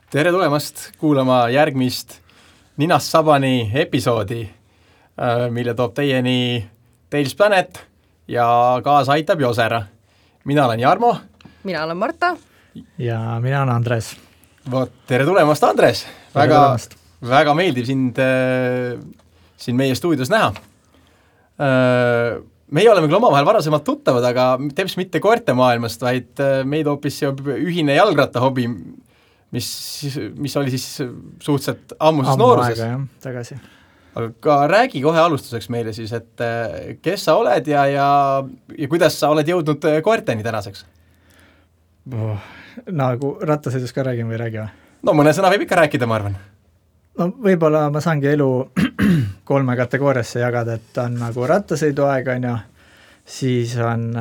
Tere tulemast kuulama järgmist Ninast Sabani episoodi, mille toob teieni Tales Planet ja kaasa aitab Josera. Mina olen Jarmo. Mina olen Marta. Ja mina olen Andres. Tere tulemast, Andres! Väga meeldiv sind meie stuudios näha. Meie oleme küll omavahel varasemalt tuttavad, aga teps mitte koerte maailmast, vaid meid hoopis ühine jalgratta hobi, mis oli siis suhteliselt ammuses nooruses. Ammu aega, tagasi. Aga räägi kohe alustuseks meile siis, et kes sa oled ja kuidas sa oled jõudnud koerteni tänaseks? Nagu rattasõidus ka räägin või räägi või? No mõne sõna võib ikka rääkida, ma arvan. No võib-olla ma saangi elu 3 kategooriasse jagada, et on nagu rattasõiduaeg on ju, siis on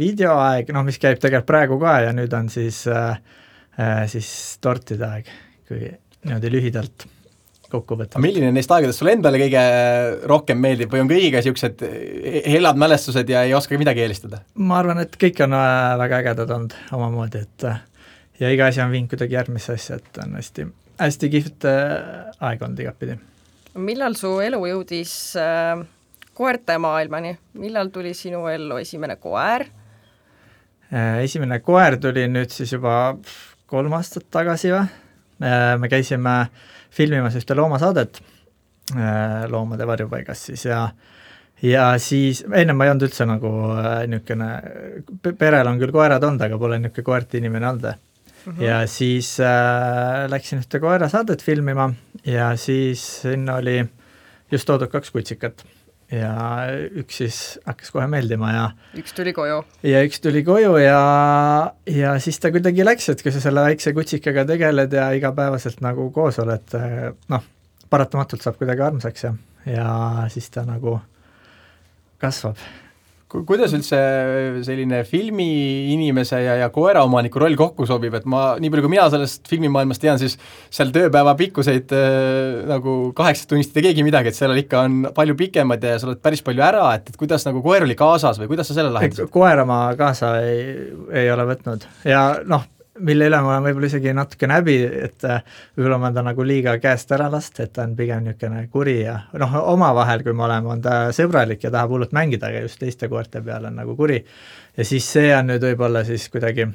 videoaeg, mis käib tegelikult praegu ka ja nüüd on siis tortide aeg, kui niimoodi lühidalt kokku võtta. Milline neist aegadest sulle endale kõige rohkem meeldib või on kõigiga niisugused helad mälestused ja ei oska midagi eelistada? Ma arvan, et kõik on väga ägedad olnud omamoodi, et ja iga asi on viinud kuidagi järgmisse asja, et on hästi kihvt aeg olnud igapidi. Millal su elu jõudis koerte maailmani? Millal tuli sinu ellu esimene koer? Esimene koer tuli nüüd siis juba 3 aastat tagasi või? Me käisime filmimas ühte loomasaadet loomade varjupaigas siis ja siis, enne ma ei olnud üldse nagu niisugune, perel on küll koerad olnud, aga pole niisugune koerte inimene olnud. Ja siis läksin ühte koerasaadet filmima ja siis sinna oli just toodud 2 kutsikat ja üks siis hakkas kohe meeldima ja üks tuli koju ja siis ta kuidagi läks, et kui sa selle väikse kutsikaga tegeled ja igapäevaselt nagu koos oled, paratamatult saab kuidagi armsaks ja siis ta nagu kasvab. Kuidas üldse selline filmiinimese ja koeraomaniku roll kokku sobib, et nii palju kui mina sellest filmimaailmast tean, siis seal tööpäeva pikkuseid nagu 8 tunnist ei keegi midagi, et seal ikka on palju pikemad ja sa oled päris palju ära, et kuidas nagu koer oli kaasas või kuidas sa selle lahendasid? Koera ma kaasa ei ole võtnud ja mille üle ma olen võib-olla isegi natuke näbi, et võib-olla ma ta nagu liiga käest ära last, et ta on pigem niisugune kuri ja omavahel, kui me oleme, on ta sõbralik ja tahab hullult mängida, aga just teiste koerte peal on nagu kuri. Ja siis see on nüüd võib-olla siis kuidagi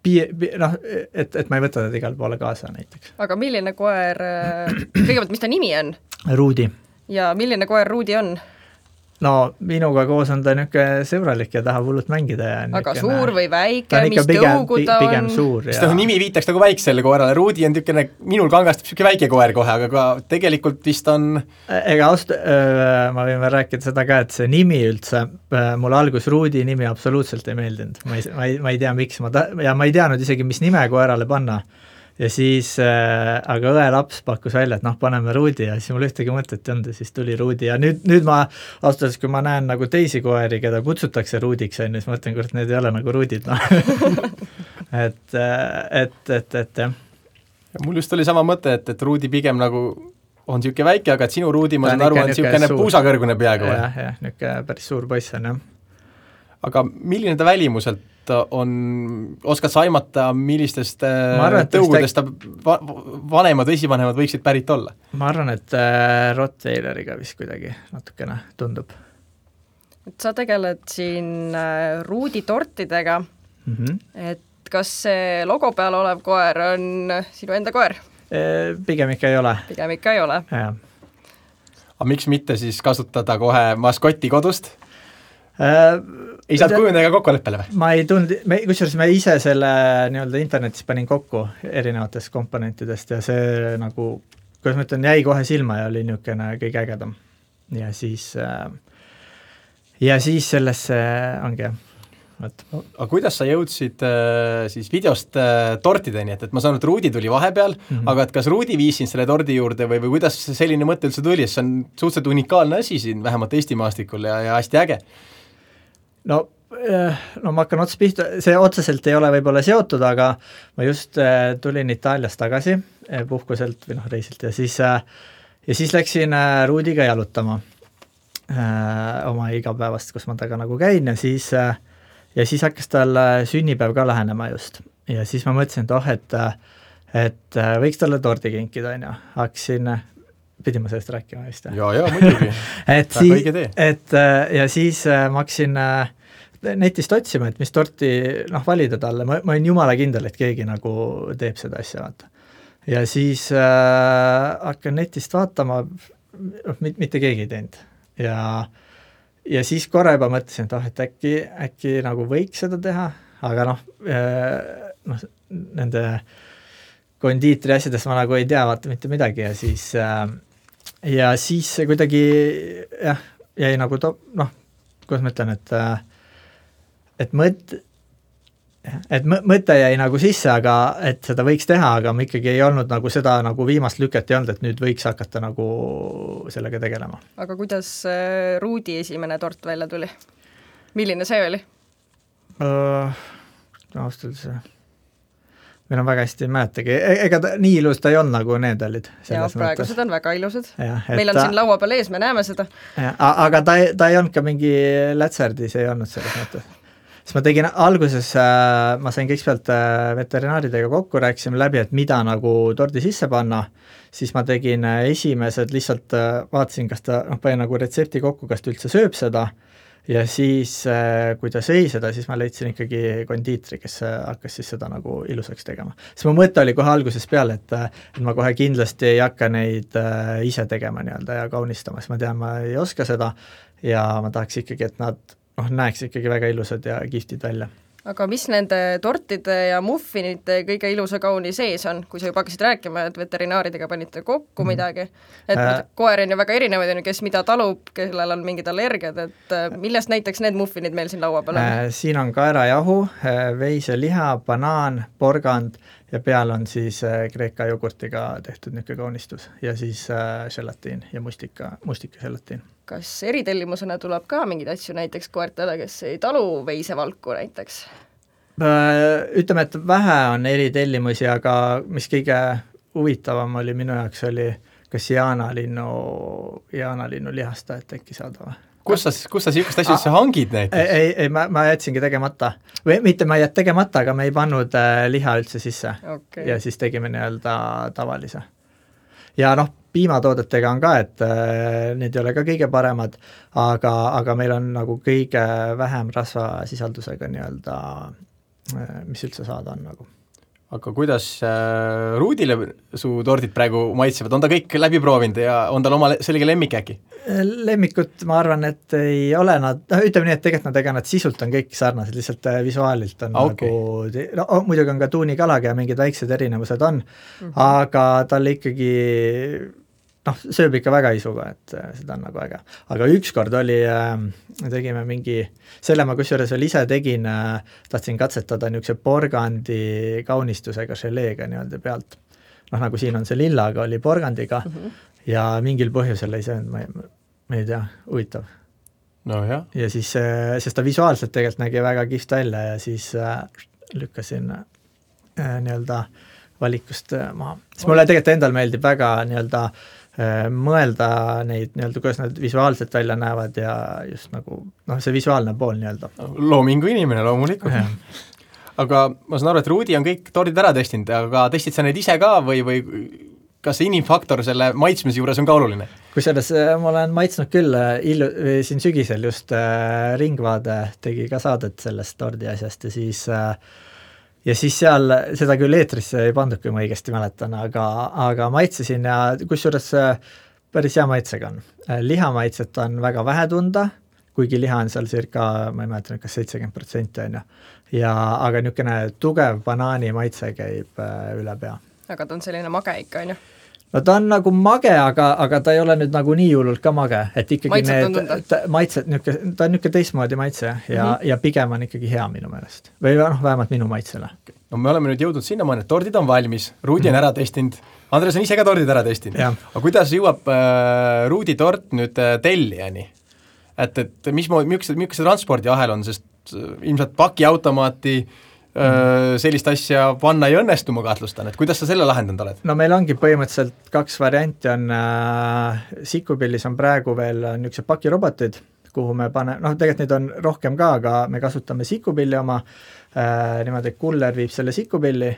et ma ei võta teda igal poole kaasa näiteks. Aga milline koer, kõigepealt, mis ta nimi on? Ruudi. Ja milline koer Ruudi on? No minuga koos on ta niisugune sõbralik ja tahab hullult mängida. Ja aga suur või väike, mis tõugu ta on? Pigem suur. Sest nimi viitaks nagu väiksele koerale. Ruudi on niisugune, minul kangastab niisugune väike koer kohe, aga ka tegelikult vist on... Ega ma võin veel rääkida seda ka, et see nimi üldse, mul algus Ruudi nimi absoluutselt ei meeldinud. Ma ei tea, miks ja ma ei teadnud isegi, mis nime koerale panna. Ja siis, aga õe laps pakkus välja, et paneme Ruudi ja siis mul ühtegi mõtet ei olnud ja siis tuli Ruudi ja nüüd ma austas, kui ma näen nagu teisi koeri, keda kutsutakse Ruudiks, siis ma mõtlen, kord need ei ole nagu Ruudid. et jah. Mul just oli sama mõte, et Ruudi pigem nagu on niisugune väike, aga et sinu Ruudi, ma saan aru, on niisugune puusakõrgune peaga. Jah, niisugune päris suur poiss on, jah. Aga milline ta välimuselt on, oskad sa aimata, millistest tõugudest vanemad või esivanemad võiksid pärit olla? Ma arvan, et Rottweileriga vist kuidagi natukene tundub. Et sa tegeled siin Ruudi tortidega, et kas see logo peal olev koer on sinu enda koer? Pigem ikka ei ole. Pigem ikka ei ole. Aga miks mitte siis kasutada kohe maskotti kodust? Ei saad kujunega kokkuleppele või? Ma ei tundnud, kusjuures me ise selle nii-öelda internetis panin kokku erinevatest komponentidest ja see nagu, kuidas ma ütlen, jäi kohe silma ja oli niisugune kõige ägedam. Ja siis sellesse ongi jah. Aga kuidas sa jõudsid siis videost tortideni, et ma saan, et Ruudi tuli vahepeal, aga et kas Ruudi viis siin selle tordi juurde või kuidas selline mõte üldse tuli, see on suhteliselt unikaalne asi siin, vähemalt Eesti maastikul ja hästi äge. No ma hakkan ots pihta, see otseselt ei ole võib-olla seotud, aga ma just tulin Itaaliast tagasi puhkuselt või reisilt ja siis läksin Ruudiga jalutama oma igapäevast, kus ma taga nagu käin ja siis hakkas tal sünnipäev ka lähenema just. Ja siis ma mõtlesin, et et võiks talle tordi kinkida, on ju, hakkasin, pidin ma sellest rääkima vist? Ja, muidugi. ja siis ma hakkasin netist otsima, et mis torti valida talle, ma olin jumala kindel, et keegi nagu teeb seda asja, vaata. Ja siis hakkan netist vaatama, mitte keegi ei teinud. Ja siis korra juba mõtlesin, et äkki nagu võiks seda teha, aga nende kondiitri asjadest ma nagu ei tea vaata mitte midagi ja siis see kuidagi jäi nagu kuidas ma ütlen, et mõte jäi nagu sisse, aga et seda võiks teha, aga ma ikkagi ei olnud nagu seda nagu viimast lüket ei olnud, et nüüd võiks hakata nagu sellega tegelema. Aga kuidas Ruudi esimene tort välja tuli? Milline see oli? Austaldes meil on väga hästi mäletagi, ega nii ilus ta ei olnud nagu need olid. Ja praegused on väga ilusad. Meil on siin laua peal ees, me näeme seda. Aga ta ei olnud ka mingi lätserdis, ei olnud selles mõttes. Siis ma tegin alguses, ma sain kõigepealt veterinaaridega kokku, rääkisime läbi, et mida nagu tordi sisse panna, siis ma tegin esimesed, lihtsalt vaatasin, kas ta pani nagu retsepti kokku, kas ta üldse sööb seda, ja siis, kui ta sõi seda, siis ma leidsin ikkagi kondiitri, kes hakkas siis seda nagu ilusaks tegema. Siis mu mõte oli kohe alguses peale, et ma kohe kindlasti ei hakka neid ise tegema nii-öelda ja kaunistama, siis ma tean, ma ei oska seda ja ma tahaks ikkagi, et nad näeks ikkagi väga ilusad ja giftid välja. Aga mis nende tortide ja muffinite kõige ilusa kauni sees on, kui sa juba hakkasid rääkima, et veterinaaridega panite kokku midagi, et koer on ju väga erinevaid, kes mida talub, kellel on mingid allergiad, et millest näiteks need muffinid meil siin laua peal on? Siin on kaerajahu, veiseliha, banaan, porgand ja peal on siis kreeka jogurtiga tehtud niisugune kaunistus ja siis želatiin ja mustika želatiin. Kas eritellimusena tuleb ka mingeid asju näiteks koertele, kes ei talu veisevalku näiteks? Ütleme, et vähe on eritellimusi, aga mis kõige huvitavam oli minu jaoks oli kas jaanalinnu lihasta, et äkki saada. Kus sa siukest asju hangid näiteks? Ei, ma jätsingi tegemata. Või mitte ma jät tegemata, aga me ei pannud liha üldse sisse. Okay. Ja siis tegime nii-öelda tavalise. Ja piimatoodetega on ka, et need ei ole ka kõige paremad, aga meil on nagu kõige vähem rasvasisaldusega nii-öelda, mis üldse saada on nagu. Aga kuidas Ruudile su tordid praegu maitsevad? On ta kõik läbi proovinud ja on tal oma selge lemmik äkki? Lemmikut ma arvan, et ei ole nad, ütleme nii, et tegelikult nad sisult on kõik sarnased, lihtsalt visuaalilt on nagu, muidugi on ka tuunikalaga ja mingid väiksed erinevused on, aga talle ikkagi sööb ikka väga isuga, et seda on nagu äge. Aga ükskord oli, tegime mingi, selle ma kusjuures veel ise tegin, tahtsin katsetada niisuguse porgandi kaunistusega želeega nii-öelda pealt. Nagu siin on see lillaga, oli porgandiga ja mingil põhjusel ei söönud, ma ei tea, huvitav. No jah. Ja siis, sest ta visuaalselt tegelikult nägi väga kihvt välja ja siis lükkasin nii-öelda valikust maha. Siis mulle tegelikult endal meeldib väga nii-öelda mõelda neid nii-öelda, kuidas nad visuaalselt välja näevad ja just nagu, see visuaalne pool nii-öelda. Loomingu inimene loomulikult. Aga ma saan aru, et Ruudi on kõik tordid ära testinud, aga testid sa neid ise ka või kas see inimfaktor selle maitsmise juures on ka oluline? Kusjuures ma olen maitsnud küll, siin sügisel just Ringvaade tegi ka saadet sellest tordi asjast ja siis seal, seda küll eetrisse ei pandud, kui ma õigesti mäletan, aga maitsesin ja kusjuures päris hea maitsega on. Lihamaitset on väga vähe tunda, kuigi liha on seal circa, ma ei mäleta, kas 70% on ja aga niisugune tugev banaani maitse käib üle pea. Aga ta on selline mage ikka, on ju? No ta on nagu mage, aga ta ei ole nüüd nagu nii hullult ka mage, et ikkagi maitset, ta on niisugune teistmoodi maitse ja pigem on ikkagi hea minu meelest. Või vähemalt minu maitsele. No me oleme nüüd jõudnud sinna mõned, tordid on valmis, Ruudi on ära testinud, Andres on ise ka tordid ära testinud. Aga kuidas jõuab Ruudi tort nüüd tellijani? Et milline transpordiahel on, sest ilmselt pakiautomaati sellist asja panna ei õnnestu, ma kahtlustan, et kuidas sa selle lahendanud oled? No meil ongi põhimõtteliselt 2 varianti on, Sikupillis on praegu veel niisugused pakirobotid, kuhu me tegelikult neid on rohkem ka, aga me kasutame sikupilli oma, niimoodi, et kuller viib selle sikupilli,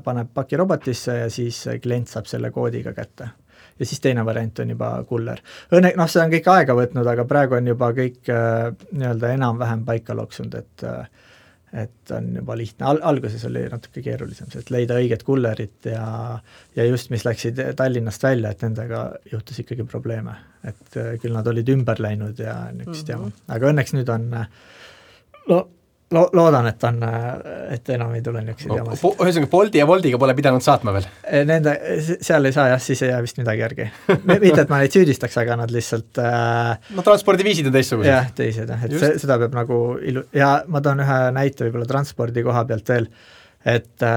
paneb pakirobotisse ja siis klient saab selle koodiga kätte. Ja siis teine variant on juba kuller. See on kõik aega võtnud, aga praegu on juba kõik nii-öelda enam-vähem paika loksunud, et on juba lihtne. Alguses oli natuke keerulisem, et leida õiget kullerit ja just mis läksid Tallinnast välja, et nendega juhtus ikkagi probleeme. Et küll nad olid ümber läinud ja niisugust jama. Aga õnneks nüüd on, loodan, et enam ei tule niisuguseid jamasid. Ühesõnaga, Bolti ja Woltiga pole pidanud saatma veel? Seal ei saa jah, siis ei jää vist midagi järgi. Mitte, et ma neid süüdistaks, aga nad lihtsalt transpordiviisid on teistsugused. Jah, teised, et seda peab nagu ja ma toon ühe näite võib-olla transpordi koha pealt veel, et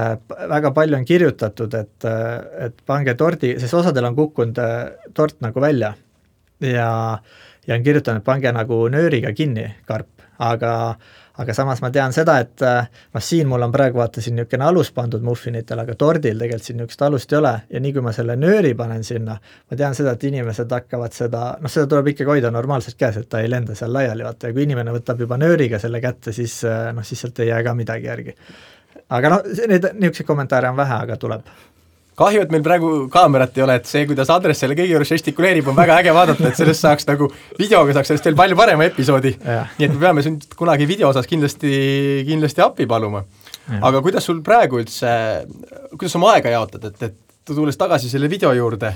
väga palju on kirjutatud, et pange tordi, sest osadel on kukkunud tort nagu välja ja on kirjutanud, et pange nagu nööriga kinni karp, aga samas ma tean seda, et siin mul on praegu vaatasin niisugune alus pandud muffinitel, aga tordil tegelikult siin niisugust alust ei ole ja nii kui ma selle nööri panen sinna, ma tean seda, et inimesed hakkavad seda tuleb ikkagi hoida normaalselt käes, et ta ei lenda seal laiali, vaata, ja kui inimene võtab juba nööriga selle kätte, siis sealt ei jää ka midagi järgi. Aga niisuguseid kommentaare on vähe, aga tuleb. Kahju, et meil praegu kaamerat ei ole, et see, kuidas Andres selle kõigi juures žestikuleerib, on väga äge vaadata, et sellest saaks nagu videoga saaks sellest veel palju parema episoodi. Nii et me peame sind kunagi video osas kindlasti appi paluma. Aga kuidas sul praegu üldse, kuidas oma aega jaotad, et tulles tagasi selle video juurde,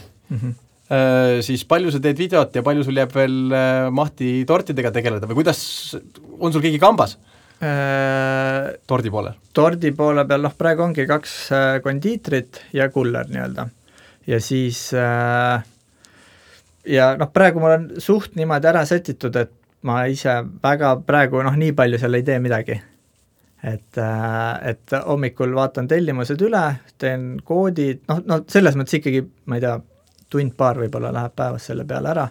siis palju sa teed videot ja palju sul jääb veel mahti tortidega tegeleda või kuidas, on sul keegi kambas? Tordi poole? Tordi poole peal, praegu ongi 2 kondiitrit ja kuller nii-öelda. Ja siis praegu mul on suht niimoodi ära setitud, et ma ise väga praegu nii palju seal ei tee midagi. Et hommikul vaatan tellimused üle, teen koodid, selles mõttes ikkagi, ma ei tea, tund-paar võib-olla läheb päevas selle peale ära.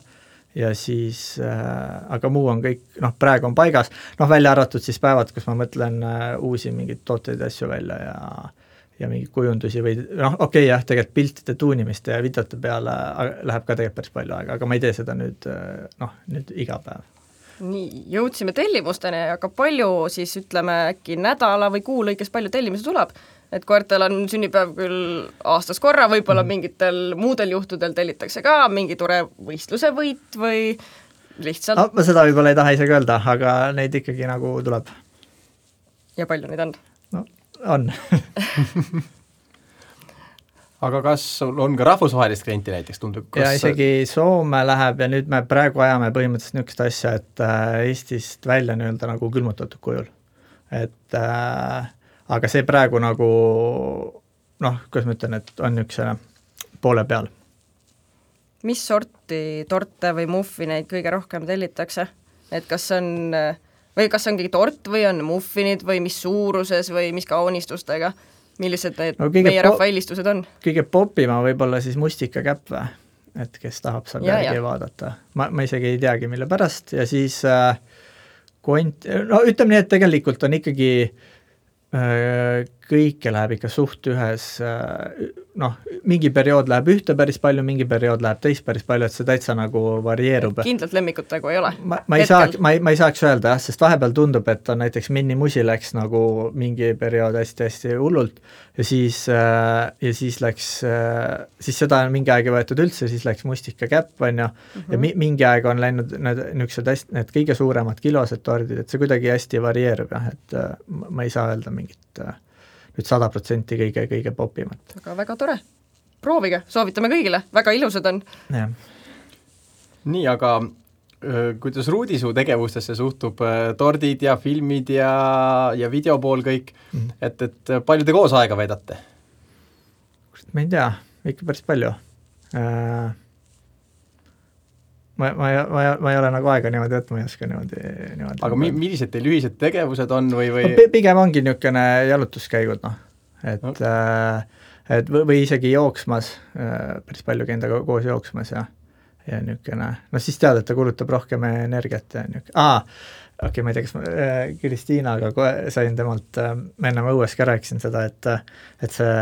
Ja siis, aga muu on kõik, praegu on paigas, välja arvatud siis päevad, kus ma mõtlen uusi mingeid tooteid ja asju välja ja mingeid kujundusi või jah, tegelikult piltide tuunimist ja videote peale läheb ka tegelikult päris palju aega, aga ma ei tee seda nüüd iga päev. Nii, jõudsime tellimusteni, aga palju siis ütleme äkki nädala või kuu lõikes palju tellimusi tuleb? Et koertel on sünnipäev küll aastas korra, võib-olla mingitel muudel juhtudel tellitakse ka mingi tore võistluse võit või lihtsalt... ma seda võib-olla ei taha isegi öelda, aga neid ikkagi nagu tuleb. Ja palju neid on? On. Aga kas on ka rahvusvahelist klienti näiteks tundub? Ja isegi Soome läheb ja nüüd me praegu ajame põhimõtteliselt niisugust asja, et Eestist välja nii-öelda nagu külmutatud kujul. Et aga see praegu nagu, kuidas ma ütlen, et on üks poole peal. Mis sorti torte või muffineid kõige rohkem tellitakse? Et kas on keegi tort või on muffinid või mis suuruses või mis kaunistustega? Millised need meie rahva eelistused on? Kõige popima võib-olla siis mustikakäpp või? Et kes tahab saab järgi vaadata. Ma isegi ei teagi, mille pärast. Ja siis ütleme nii, et tegelikult on ikkagi kõike läheb ikka suht ühes, mingi periood läheb ühte päris palju, mingi periood läheb teist päris palju, et see täitsa nagu varieerub. Kindlalt lemmikut nagu ei ole? Ma ei saaks öelda jah, sest vahepeal tundub, et on näiteks Minnimusi läks nagu mingi periood hästi-hästi hullult ja siis läks, siis seda on mingi aeg võetud üldse, siis läks mustikakäpp, on ju, ja mingi aeg on läinud need kõige suuremad kilosed tordid, et see kuidagi hästi varieerub jah, et ma ei saa öelda mingit nüüd 100% kõige popimat. Aga väga tore. Proovige, soovitame kõigile, väga ilusad on. Ja. Nii, aga kuidas Ruudi su tegevustesse suhtub tordid ja filmid ja videopool kõik, et palju te koos aega veedate? Ma ei tea, ikka päris palju. Ma ei ole nagu aega niimoodi, et ma ei oska niimoodi. Aga millised teil ühised tegevused on või? Pigem ongi niisugune jalutuskäigud, et või isegi jooksmas, päris palju endaga koos jooksmas ja niisugune, siis tead, et ta kulutab rohkem energiat ja niisugune, ma ei tea, kas ma Kristiinaga sain temalt, ma ennem õues ka rääkisin seda, et see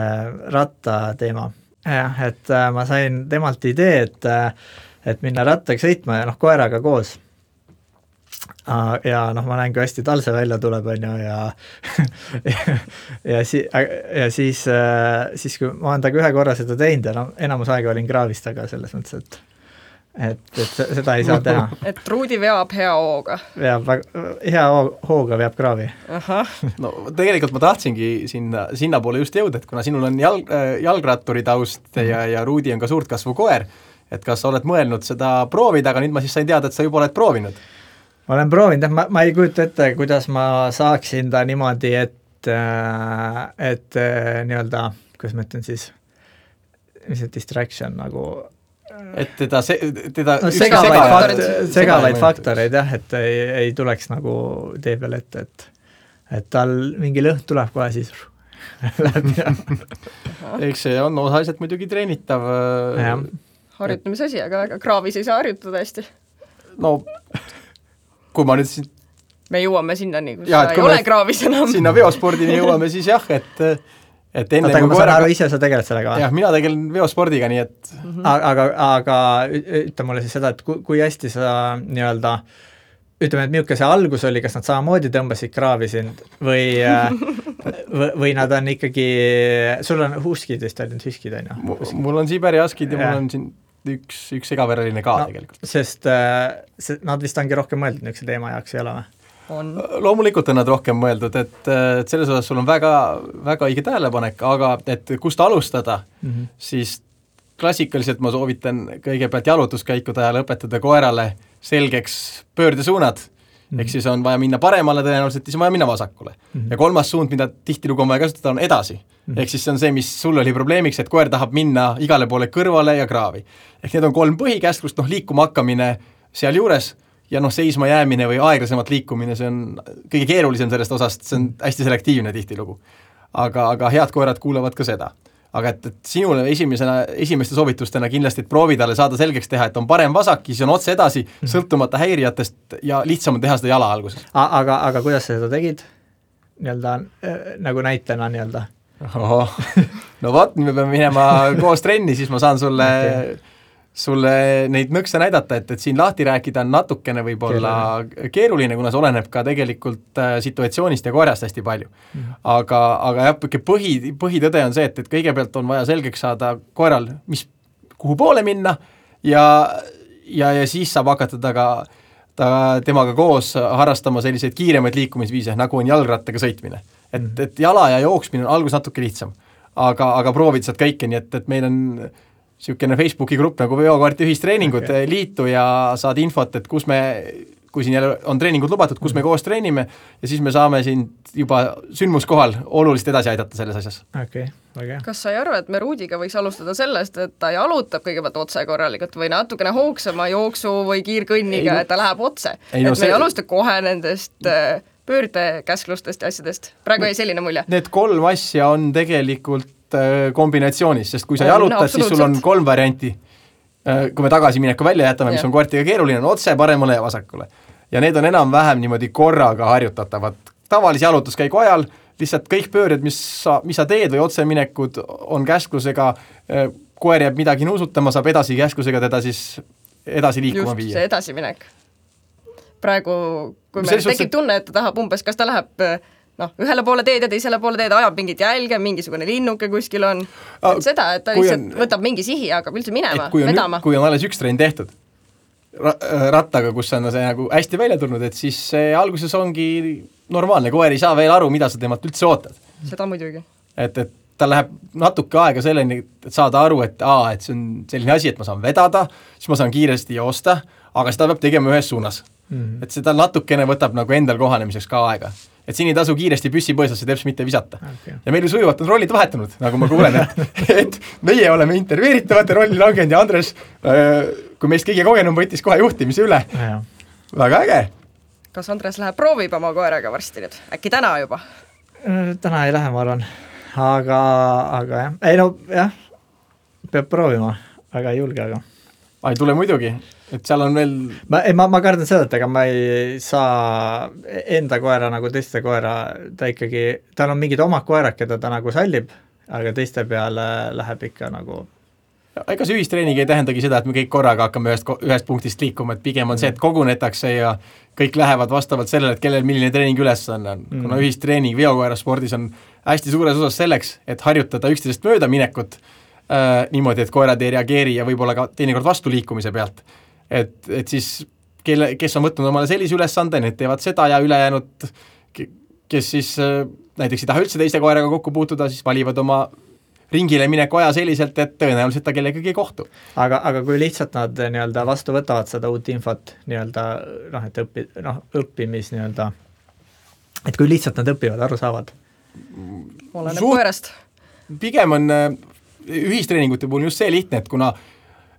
ratta teema, et ma sain temalt idee, et minna rattaga sõitma ja koeraga koos. ja noh, ma näen, kui hästi tal see välja tuleb, on ju, ja siis kui ma olen taga ühe korra seda teinud ja no enamus aega olin kraavis taga selles mõttes, et seda ei saa teha. Et Ruudi veab hea hooga. Hea hooga veab kraavi. No tegelikult ma tahtsingi sinna poole just jõuda, et kuna sinul on jalgratturi taust ja Ruudi on ka suurt kasvu koer, et kas sa oled mõelnud seda proovida, aga nüüd ma siis sain teada, et sa juba oled proovinud. Ma olen proovinud, ma ei kujuta ette, kuidas ma saaksin ta niimoodi, et nii-öelda, kuidas ma ütlen siis, mis see distraction nagu et teda no, segavaid faktoreid jah, et ei tuleks nagu tee peal ette, et tal mingi lõhn tuleb kohe siis läbi. Eks see on osaliselt muidugi treenitav. Harjutamise asi, aga kraavis ei saa harjutada hästi. No, kui ma nüüd me jõuame sinnani, kus sa ei ole kraavis enam. Sinna veospordini jõuame siis jah, et enne kui ma saan aru, ise sa tegeled sellega? Jah, mina tegelen veospordiga, nii et aga ütle mulle siis seda, et kui hästi sa nii-öelda, ütleme, et milline see algus oli, kas nad samamoodi tõmbasid kraavi sind või nad on ikkagi, sul on huskid vist ainult hüskid, on ju? Mul on Siberi haskid ja mul on siin üks segavereline ka tegelikult. Sest nad vist ongi rohkem mõeldud niisuguse teema jaoks ei ole või? Loomulikult on nad rohkem mõeldud, et selles osas sul on väga, väga õige tähelepanek, aga et kust alustada, siis klassikaliselt ma soovitan kõigepealt jalutuskäikude ajal õpetada koerale selgeks pöördesuunad, ehk siis on vaja minna paremale tõenäoliselt, siis on vaja minna vasakule. Ja kolmas suund, mida tihtilugu on vaja kasutada, on edasi. Ehk siis see on see, mis sul oli probleemiks, et koer tahab minna igale poole kõrvale ja kraavi. Ehk need on 3 põhikäsklust, liikuma hakkamine seal juures, ja seisma jäämine või aeglasemat liikumine, see on kõige keerulisem sellest osast, see on hästi selektiivne tihtilugu. Aga head koerad kuulavad ka seda. Aga et sinule esimeste soovitustena kindlasti, et proovi talle saada selgeks teha, et on parem vasak, siis on otse edasi, sõltumata häirijatest ja lihtsam on teha seda jala alguses. Aga kuidas sa seda tegid? Nii-öelda, nagu näitena nii-öelda? No vaat, me peame minema koos trenni, siis ma saan sulle neid nõkse näidata, et siin lahti rääkida on natukene võib-olla keeruline, kuna see oleneb ka tegelikult situatsioonist ja koerast hästi palju. Aga jah, põhitõde on see, et kõigepealt on vaja selgeks saada koeral, kuhu poole minna ja siis saab hakata temaga koos harrastama selliseid kiiremaid liikumisviise, nagu on jalgrattaga sõitmine. Et jala ja jooksmine on algus natuke lihtsam, aga proovid saad kõike, nii et meil on niisugune Facebooki grupp nagu veokaarti ühistreeningud liitu ja saad infot, et kui siin jälle on treeningud lubatud, kus me koos treenime ja siis me saame siin juba sündmuskohal oluliselt edasi aidata selles asjas. Okay. Kas sa ei arva, et me Ruudiga võiks alustada sellest, et ta jalutab kõigepealt otse korralikult või natukene hoogsama jooksu või kiirkõnniga, et ta läheb otse? Me ei alusta kohe nendest pöördekäsklustest ja asjadest. Praegu ei selline mulje. Need 3 asja on tegelikult kombinatsioonis, sest kui sa jalutad, siis sul on 3 varianti. Kui me tagasimineku välja jätame, mis on koertiga keeruline, on otse, paremale ja vasakule. Ja need on enam-vähem niimoodi korraga harjutatavad. Tavalise jalutuskäigu ajal lihtsalt kõik pööred, mis sa teed või otseminekud on käsklusega, koer jääb midagi nuusutama, saab edasi käsklusega teda siis edasi liikuma viia. Just see edasiminek. Praegu, kui meil tekib tunne, et ta tahab umbes, kas ta läheb ühele poole teed ja teisele poole teed, ajab mingit jälge, mingisugune linnuke kuskil on. Et seda, et ta lihtsalt võtab mingi sihi ja hakkab üldse minema, vedama. Kui on alles üks trenn tehtud rattaga, kus on see nagu hästi välja tulnud, et siis alguses ongi normaalne, koer ei saa veel aru, mida sa temalt üldse ootad. Seda muidugi. Et ta läheb natuke aega selleni, et saada aru, et see on selline asi, et ma saan vedada, siis ma saan kiiresti joosta, aga seda peab tegema ühes suunas. Et seda natukene võtab nagu endal kohanemiseks ka aega. Et siin ei tasu kiiresti püssi põõsasse teps mitte visata. Okay. Ja meil sujuvat on rollid vahetunud, nagu ma kuulen, et meie oleme intervjueeritavate rolli langenud ja Andres, kui meist kõige kogenum võttis kohe juhtimise üle. Ja. Väga äge. Kas Andres läheb proovib oma koeraga varsti nüüd? Äkki täna juba? Täna ei lähe, ma arvan. Aga jah. Ei no jah, peab proovima. Väga ei julge, aga. Ei tule muidugi, et seal on veel... Ma kardan seda, et ega ma ei saa enda koera nagu teiste koera, tal on mingid omad koerad, keda ta nagu sallib, aga teiste peale läheb ikka nagu ega see ühistreening ei tähendagi seda, et me kõik korraga hakkame ühest punktist liikuma, et pigem on see, et kogunetakse ja kõik lähevad vastavalt sellele, et kellel milline treening ülesanne on. Kuna ühistreening veokoeraspordis on hästi suures osas selleks, et harjutada üksteisest mööda minekut niimoodi, et koerad ei reageeri ja võib-olla ka teinekord vastuliikumise pealt. Et siis, kes on võtnud omale sellise ülesande, need teevad seda ja ülejäänud, kes siis näiteks ei taha üldse teiste koeraga kokku puutuda, siis valivad oma ringile mineku aja selliselt, et tõenäoliselt ta kellegagi ei kohtu. Aga kui lihtsalt nad nii-öelda vastu võtavad seda uut infot nii-öelda, et õppimis nii-öelda, et kui lihtsalt nad õpivad, aru saavad? Oleneb koerast. Pigem on ühistreeningute puhul just see lihtne, et kuna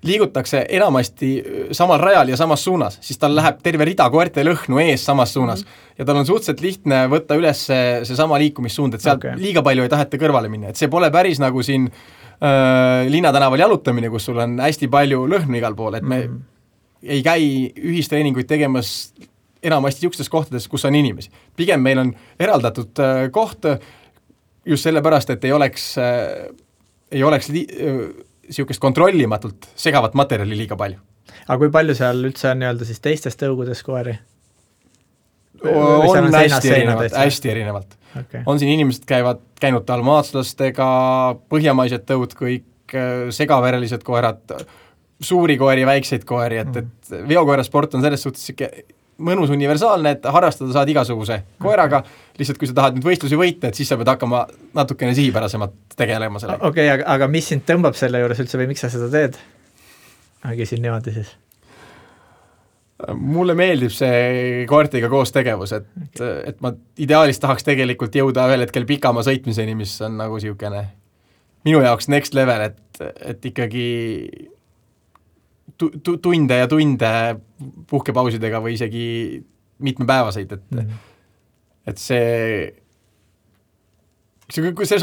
liigutakse enamasti samal rajal ja samas suunas, siis tal läheb terve rida koerte lõhnu ees samas suunas ja tal on suhteliselt lihtne võtta üles see sama liikumissuund, et sealt liiga palju ei taheta kõrvale minna, et see pole päris nagu siin linnatänaval jalutamine, kus sul on hästi palju lõhnu igal pool, et me ei käi ühistreeninguid tegemas enamasti niisugustes kohtades, kus on inimesi. Pigem meil on eraldatud koht just sellepärast, et ei oleks niisugust kontrollimatult segavat materjali liiga palju. Aga kui palju seal üldse on nii-öelda siis teistes tõugudes koeri? On hästi erinevalt. Okay. On siin inimesed käinud dalmaatslastega, põhjamaised tõud, kõik segaverelised koerad, suuri koeri, väikseid koeri, et veokoerasport on selles suhtes mõnus universaalne, et harrastada saad igasuguse koeraga, lihtsalt kui sa tahad nüüd võistlusi võita, et siis sa pead hakkama natukene sihipärasemalt tegelema selle. Okei, aga mis sind tõmbab selle juures üldse või miks sa seda teed? Küsin niimoodi siis. Mulle meeldib see koertega koos tegevus, et ma ideaalis tahaks tegelikult jõuda ühel hetkel pikama sõitmiseni, mis on nagu siukene minu jaoks next level, et ikkagi tunde ja tunde puhkepausidega või isegi mitmepäevaseid, et see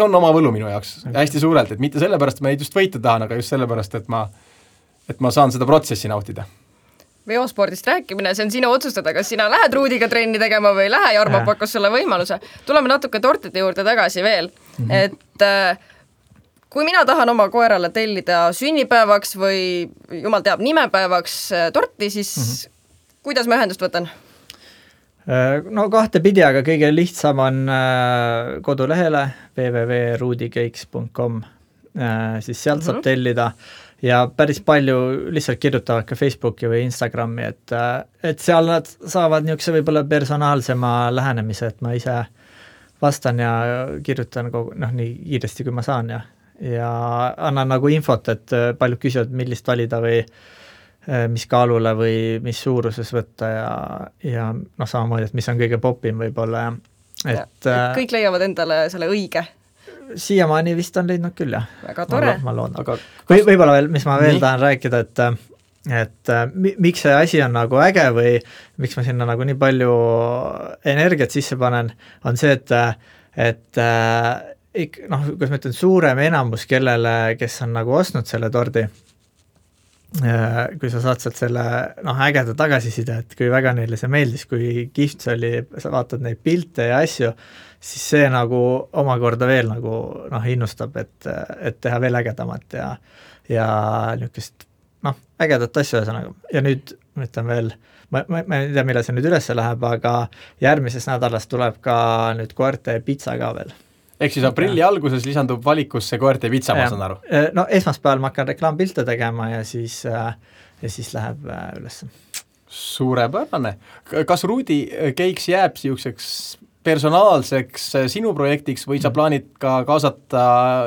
on oma võlu minu jaoks hästi suurelt, et mitte sellepärast, et ma neid just võita tahan, aga just sellepärast, et ma saan seda protsessi nautida. Veospordist rääkimine, see on sinu otsustada, kas sina lähed Ruudiga trenni tegema või lähe, Jarmo pakkus sulle võimaluse. Tuleme natuke tortide juurde tagasi veel, et kui mina tahan oma koerale tellida sünnipäevaks või jumal teab nimepäevaks torti, siis kuidas ma ühendust võtan? No kahtepidi, aga kõige lihtsam on kodulehele www.ruudicakes.com, siis sealt saab tellida ja päris palju lihtsalt kirjutavad ka Facebooki või Instagrami, et seal nad saavad niisuguse võib-olla personaalsema lähenemise, et ma ise vastan ja kirjutan nii kiiresti, kui ma saan ja annan nagu infot, et paljud küsivad, millist valida või mis kaalule või mis suuruses võtta ja samamoodi, et mis on kõige popim võib-olla. Et kõik leiavad endale selle õige. Siiamaani vist on leidnud küll, jah. Väga tore. Ma loodan. Võib-olla veel, mis ma veel tahan rääkida, et miks see asi on nagu äge või miks ma sinna nagu nii palju energiat sisse panen, on see, et kuidas ma ütlen, suurem enamus kellele, kes on nagu ostnud selle tordi, kui sa saad sealt selle ägeda tagasiside, et kui väga neile see meeldis, kui kihvt see oli, sa vaatad neid pilte ja asju, siis see nagu omakorda veel nagu innustab, et teha veel ägedamat ja niisugust ägedat asju ühesõnaga. Ja nüüd ma ütlen veel, ma ei tea, millal see nüüd üles läheb, aga järgmises nädalas tuleb ka nüüd koerte pitsa ka veel. Ehk siis aprilli alguses lisandub valikusse koerte pitsa, ma saan aru? No esmaspäeval ma hakkan reklaampilte tegema ja siis läheb üles. Suurepärane. Kas Ruudi Cakes jääb siukseks personaalseks sinu projektiks või sa plaanid ka kaasata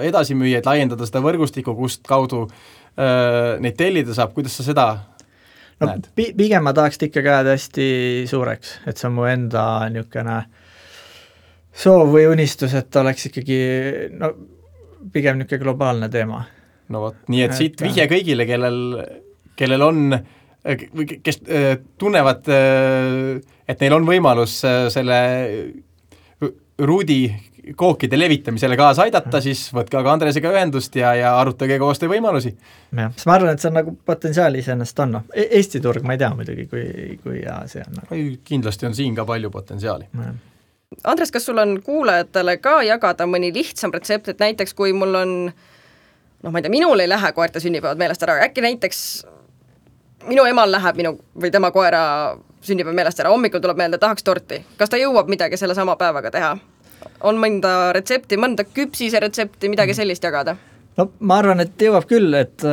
edasimüüjaid, laiendada seda võrgustikku, kust kaudu neid tellida saab, kuidas sa seda näed? Pigem ma tahaks ikkagi jääda hästi suureks, et see on mu enda niisugune soov või unistus, et oleks ikkagi pigem niisugune globaalne teema. No võt, nii et siit vihje kõigile, kellel on, kes tunnevad, et neil on võimalus selle Ruudi kookide levitamisele kaasa aidata, siis võtke aga Andresega ühendust ja arutage koostöö võimalusi. Ja, ma arvan, et see on nagu potentsiaali iseenesest on. Eesti turg, ma ei tea muidugi, kui ja see on. Kindlasti on siin ka palju potentsiaali. Andres, kas sul on kuulajatele ka jagada mõni lihtsam retsept, et näiteks kui mul on ma ei tea, minul ei lähe koerte sünnipäevad meelest ära, äkki näiteks minu emal läheb minu või tema koera sünnipäev meelest ära, hommikul tuleb meelde, tahaks torti. Kas ta jõuab midagi selle sama päevaga teha? On mõnda retsepti, mõnda küpsise retsepti, midagi sellist jagada? No ma arvan, et jõuab küll, et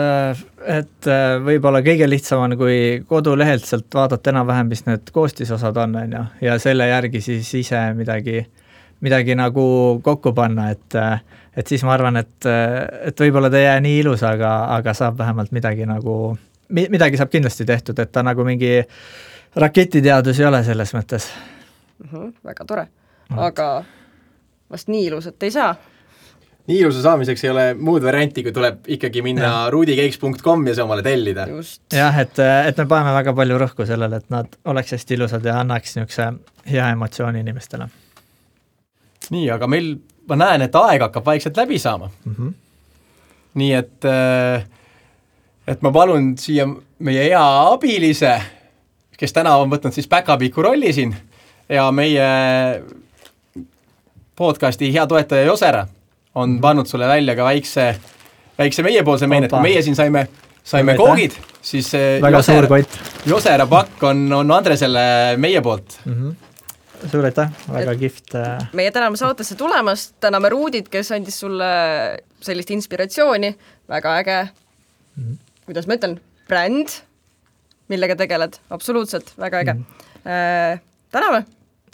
võib-olla kõige lihtsam on, kui kodulehelt sealt vaadata enam-vähem, mis need koostisosad on ja, ja selle järgi siis ise midagi nagu kokku panna, et siis ma arvan, et võib-olla ta ei jää nii ilus, aga saab vähemalt midagi saab kindlasti tehtud, et ta nagu mingi raketiteadus ei ole selles mõttes. Väga tore, aga vast nii ilusat ei saa. Nii ilusa saamiseks ei ole muud varianti, kui tuleb ikkagi minna ruudikeiks.com ja see omale tellida. Jah, et me paneme väga palju rõhku sellele, et nad oleks hästi ilusad ja annaks niisuguse hea emotsiooni inimestele. Nii, aga ma näen, et aeg hakkab vaikselt läbi saama. Nii, et ma palun siia meie hea abilise, kes täna on võtnud siis päkapiku rolli siin ja meie podcasti hea toetaja Josera on pannud sulle välja ka väikse meiepoolse meinet, kui meie siin saime koogid, siis Josera pakk on Andresele meie poolt. Suur aitäh, väga kihvt. Meie täname saatesse tulemast, täname Ruudit, kes andis sulle sellist inspiratsiooni, väga äge, kuidas ma ütlen, bränd, millega tegeled, absoluutselt, väga äge. Täname!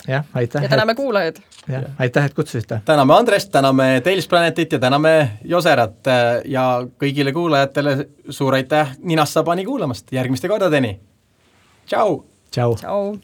Ja, aitäh, ja täname kuulajad. Ja, aitäh, et kutsusite. Täname Andrest, täname Tales Planetit ja täname Joserat ja kõigile kuulajatele suur aitäh Ninast Sabani kuulamast. Järgmiste kordadeni. Tšau! Tšau! Tšau!